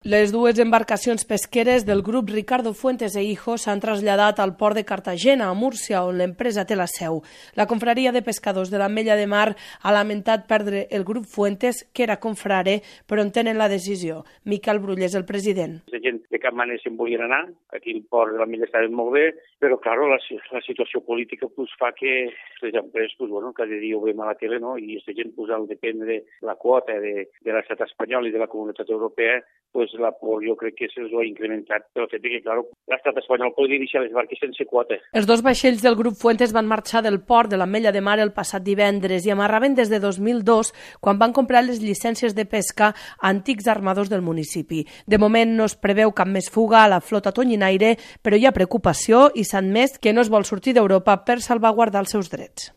Les dues embarcacions pesqueres del grup Ricardo Fuentes e Hijos s'han traslladat al port de Cartagena, a Múrcia, on l'empresa té la seu. La confraria de pescadors de l'Ametlla de Mar ha lamentat perdre el grup Fuentes, que era confrare, però en tenen la decisió. Miquel Brull és el president. La gent de cap manera se'n volien anar, aquí el port de l'Ametlla estava molt bé, però clar, la situació política fa que les empreses cada dia ho veiem a la tele, no? I aquesta gent al depèn de la quota de l'estat espanyol i de la comunitat europea, la por jo crec que se'ls ha incrementat pel fet que, clar, l'estat espanyol podria deixar les barques sense quota. Els dos vaixells del grup Fuentes van marxar del port de l'Ametlla de Mar el passat divendres i amarraven des de 2002, quan van comprar les llicències de pesca a antics armadors del municipi. De moment no es preveu cap més fuga a la flota tonyinaire, però hi ha preocupació i s'ha admès que no es vol sortir d'Europa per salvaguardar els seus drets.